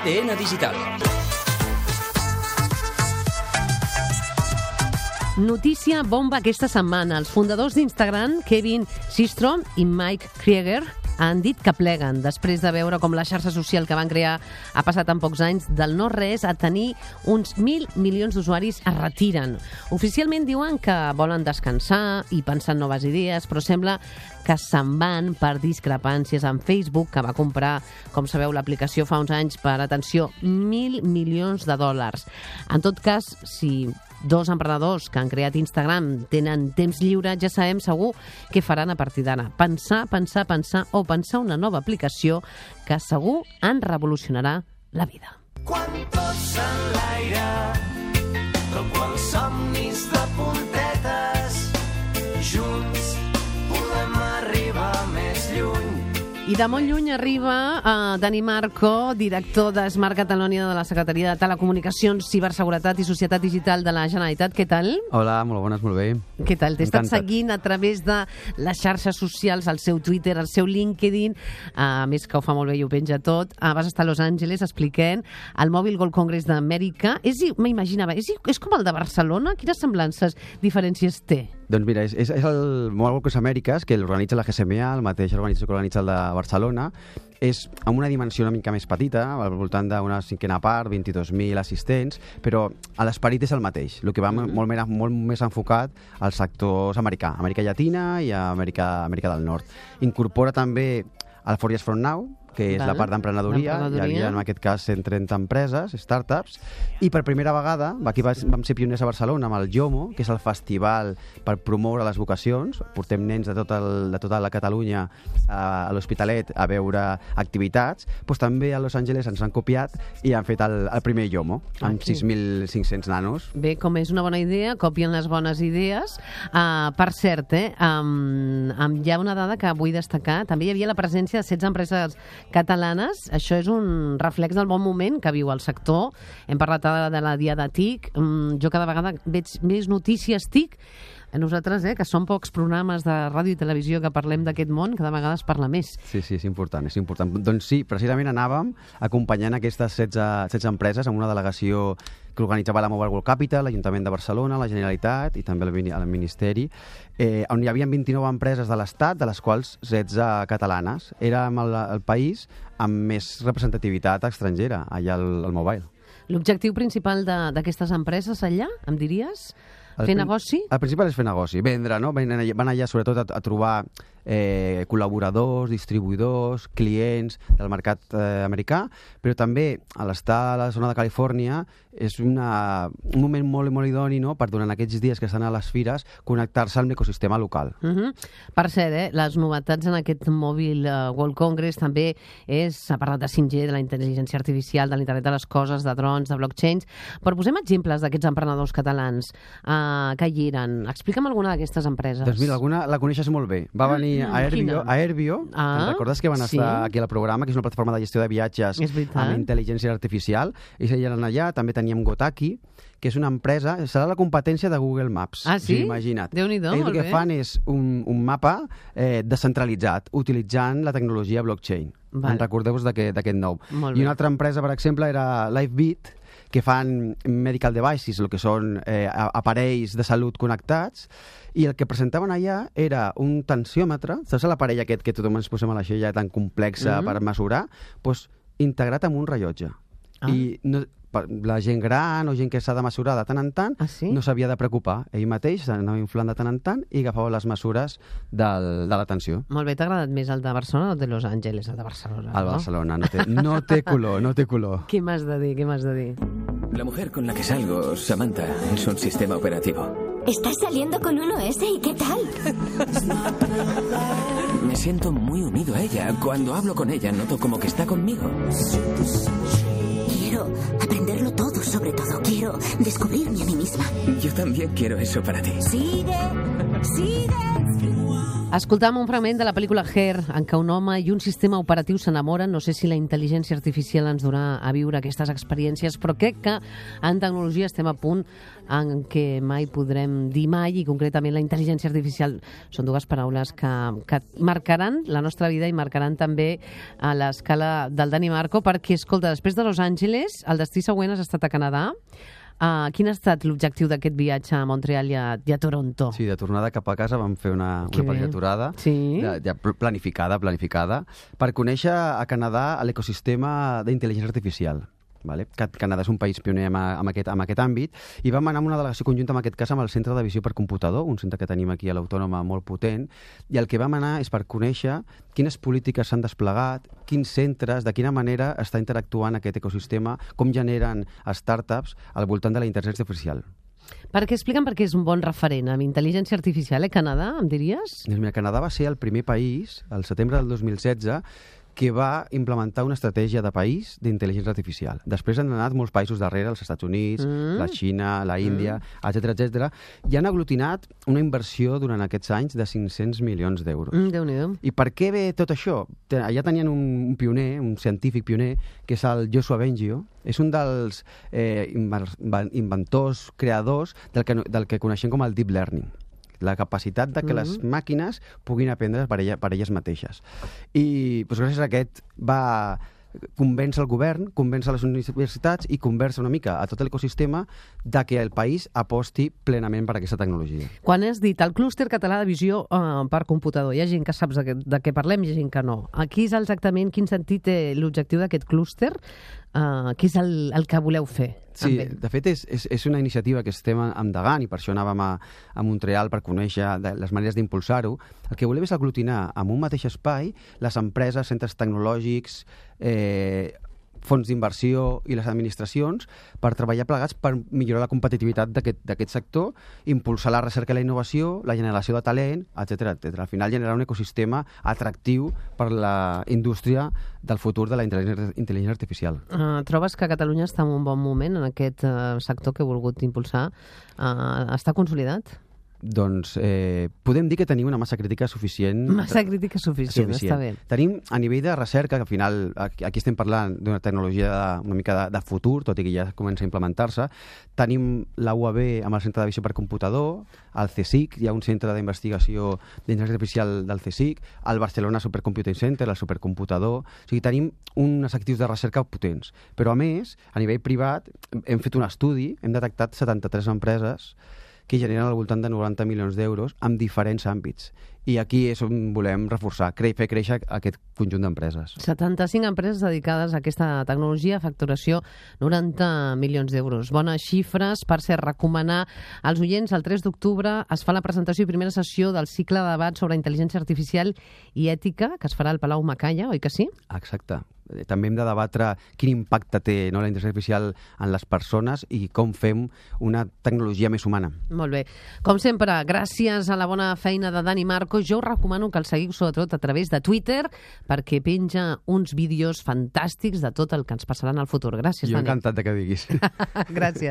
ADN Digital. Notícia bomba aquesta setmana. Els fundadors d'Instagram, Kevin Systrom i Mike Krieger, han dit que pleguen després de veure com la xarxa social que van crear ha passat en pocs anys del no-res a tenir uns 1.000 milions d'usuaris es retiren. Oficialment diuen que volen descansar i pensar en noves idees, però sembla que se'n van per discrepàncies amb Facebook, que va comprar, com sabeu, l'aplicació fa uns anys per, atenció, 1.000 milions de dòlars. En tot cas, si dos emprenedors que han creat Instagram tenen temps lliure, ja sabem segur què faran a partir d'ara. Pensar o pensar una nova aplicació que segur en revolucionarà la vida. Quan tots en l'aire, com els somnis de puntetes, junts podem arribar més lluny. I de molt lluny arriba Dani Marco, director de Smart Catalonia de la Secretaria de Telecomunicacions, Ciberseguretat i Societat Digital de la Generalitat. Què tal? Hola, molt bones, molt bé. Què tal? T'he estat seguint a través de les xarxes socials, el seu Twitter, el seu LinkedIn, a més que ho fa molt bé i ho penja tot. Vas estar a Los Angeles expliquent el Mobile World Congress d'Amèrica. M'imaginava, és com el de Barcelona? Quines semblances, diferències té? Doncs mira, és el Mobile World Congress Amèriques, que l'organitza la GSMA, el mateix organització que organitza el de Barcelona. És amb una dimensió una mica més petita, al voltant d'una cinquena part, 22.000 assistents, però l'esperit és el mateix. El que va molt més enfocat als sectors americà, Amèrica Llatina i Amèrica del Nord. Incorpora també el 4Years From Now, que és la part d'emprenedoria. Hi havia en aquest cas 130 empreses, startups, i per primera vegada, aquí vam ser pioners a Barcelona amb el JOMO, que és el festival per promoure les vocacions. Portem nens de tota la Catalunya a l'Hospitalet a veure activitats. Doncs també a Los Angeles ens han copiat i han fet el primer JOMO, amb 6.500 nanos. Bé, com és una bona idea, copien les bones idees. Per cert, hi ha una dada que vull destacar. També hi havia la presència de 16 empreses catalanes. Això és un reflex del bon moment que viu el sector. Hem parlat de la Diada TIC. Jo cada vegada veig més notícies TIC. Nosaltres, que són pocs programes de ràdio i televisió que parlem d'aquest món, cada vegada es parla més. Sí, és important, és important. Doncs sí, precisament anàvem acompanyant aquestes 16 empreses amb una delegació que organitzava la Mobile World Capital, l'Ajuntament de Barcelona, la Generalitat i també el Ministeri, on hi havia 29 empreses de l'Estat, de les quals 16 catalanes. Érem el país amb més representativitat estrangera, allà al Mobile. L'objectiu principal d'aquestes empreses allà, em diries? Fer negoci? El principal és fer negoci, vendre, no? Van allà sobretot a trobar col·laboradors, distribuïdors, clients del mercat americà, però també a l'estar a la zona de Califòrnia és un moment molt idoni, no?, per durant aquests dies que estan a les fires connectar-se amb l'ecosistema local. Per cert, les novetats en aquest Mobile World Congress també s'ha parlat de 5G, de la intel·ligència artificial, de l'internet de les coses, de drons, de blockchains, però posem exemples d'aquests emprenedors catalans que hi eren. Explica'm alguna d'aquestes empreses. Doncs mira, alguna la coneixes molt bé. Va venir a Airbio. Recordes que van estar aquí al programa, que és una plataforma de gestió de viatges amb intel·ligència artificial, i seien allà. També teníem Gotaki, que és una empresa, serà la competència de Google Maps. Ah, sí? Imagina't. Déu-n'hi-do, molt bé. El que fan és un mapa descentralitzat, utilitzant la tecnologia blockchain. Recordeu-vos d'aquest nou. I una altra empresa, per exemple, era LifeBeat, que fan medical devices, el que són aparells de salut connectats, i el que presentaven allà era un tensiòmetre, saps l'aparell aquest que tothom ens posem a l'aixella tan complexa per mesurar, doncs integrat amb un rellotge. I la gent gran o gent que s'ha de mesurar de tant en tant no s'havia de preocupar. Ell mateix s'anava inflant de tant en tant i agafava les mesures de la tensió. Molt bé, t'ha agradat més el de Barcelona o el de Los Angeles? El de Barcelona, El de Barcelona, no té color, no té color. Què m'has de dir? La mujer con la que salgo, Samantha, es un sistema operativo. ¿Estás saliendo con un OS y qué tal? Me siento muy unido a ella. Cuando hablo con ella noto como que está conmigo. Quiero aprenderlo todo, sobre todo. Quiero descubrirme a mí misma. Yo también quiero eso para ti. Sigue. Escoltàvem un fragment de la pel·lícula Her, en què un home i un sistema operatiu s'enamoren. No sé si la intel·ligència artificial ens donarà a viure aquestes experiències, però crec que en tecnologia estem a punt en què mai podrem dir mai, i concretament la intel·ligència artificial són dues paraules que marcaran la nostra vida i marcaran també a l'escala del Dani Marco, perquè, escolta, després de Los Angeles, el destí següent has estat a Canadà. Quin ha estat l'objectiu d'aquest viatge a Montreal i a Toronto? Sí, de tornada cap a casa vam fer una petita aturada, sí? ja planificada, per conèixer a Canadà l'ecosistema d'intel·ligència artificial. Vale? Canadà és un país pioner en aquest àmbit, i vam anar amb una delegació conjunta, en aquest cas amb el Centre de Visió per Computador, un centre que tenim aquí a l'Autònoma molt potent, i el que vam anar és per conèixer quines polítiques s'han desplegat, quins centres, de quina manera està interactuant aquest ecosistema, com generen startups al voltant de la intel·ligència artificial. Explica'm per què és un bon referent amb intel·ligència artificial, Canadà, em diries? Mira, Canadà va ser el primer país, al setembre del 2016, que va implementar una estratègia de país d'intel·ligència artificial. Després han anat molts països darrere, els Estats Units, la Xina, la Índia, etc., i han aglutinat una inversió durant aquests anys de 500 milions d'euros. Déu-n'hi-do. I per què ve tot això? Allà tenien un pioner, un científic pioner, que és el Joshua Bengio. És un dels inventors, creadors del que coneixem com el deep learning, la capacitat de que les màquines puguin aprendre per elles mateixes. I gràcies a aquest va convèncer el govern, convèncer les universitats i convèncer una mica a tot l'ecosistema de que el país aposti plenament per aquesta tecnologia. Quan has dit el clúster català de visió per computador, hi ha gent que saps de què parlem i hi ha gent que no. Aquí és exactament quin sentit té l'objectiu d'aquest clúster? Què és el que voleu fer? Sí, de fet és una iniciativa que estem endegant, i per això anàvem a Montreal per conèixer les maneres d'impulsar-ho. El que volem és aglutinar en un mateix espai les empreses, centres tecnològics, fons d'inversió i les administracions per treballar plegats per millorar la competitivitat d'aquest sector, impulsar la recerca i la innovació, la generació de talent, etc. Al final generar un ecosistema atractiu per la indústria del futur de la intel·ligència artificial. Trobes que Catalunya està en un bon moment en aquest sector que heu volgut impulsar? Està consolidat? Doncs podem dir que tenim una massa crítica suficient. Massa crítica suficient, està bé. Tenim, a nivell de recerca, que al final aquí estem parlant d'una tecnologia una mica de futur, tot i que ja comença a implementar-se, tenim la UAB amb el Centre de Visió per Computador, el CSIC, hi ha un centre d'investigació d'intel·ligència artificial del CSIC, el Barcelona Supercomputing Center, el Supercomputador. O sigui, tenim uns actius de recerca potents. Però, a més, a nivell privat, hem fet un estudi, hem detectat 73 empreses que generen al voltant de 90 milions d'euros en diferents àmbits. I aquí és on volem reforçar, fer créixer aquest conjunt d'empreses. 75 empreses dedicades a aquesta tecnologia, facturació 90 milions d'euros. Bones xifres. Per cert, recomanar als oients, el 3 d'octubre es fa la presentació i primera sessió del cicle de debat sobre intel·ligència artificial i ètica, que es farà al Palau Macaya, oi que sí? Exacte. També hem de debatre quin impacte té la intel·ligència artificial en les persones i com fem una tecnologia més humana. Molt bé. Com sempre, gràcies a la bona feina de Dani Marco. Jo us recomano que el seguiu sobretot a través de Twitter, perquè penja uns vídeos fantàstics de tot el que ens passarà en el futur. Gràcies, Dani. Jo encantat de que diguis. Gràcies.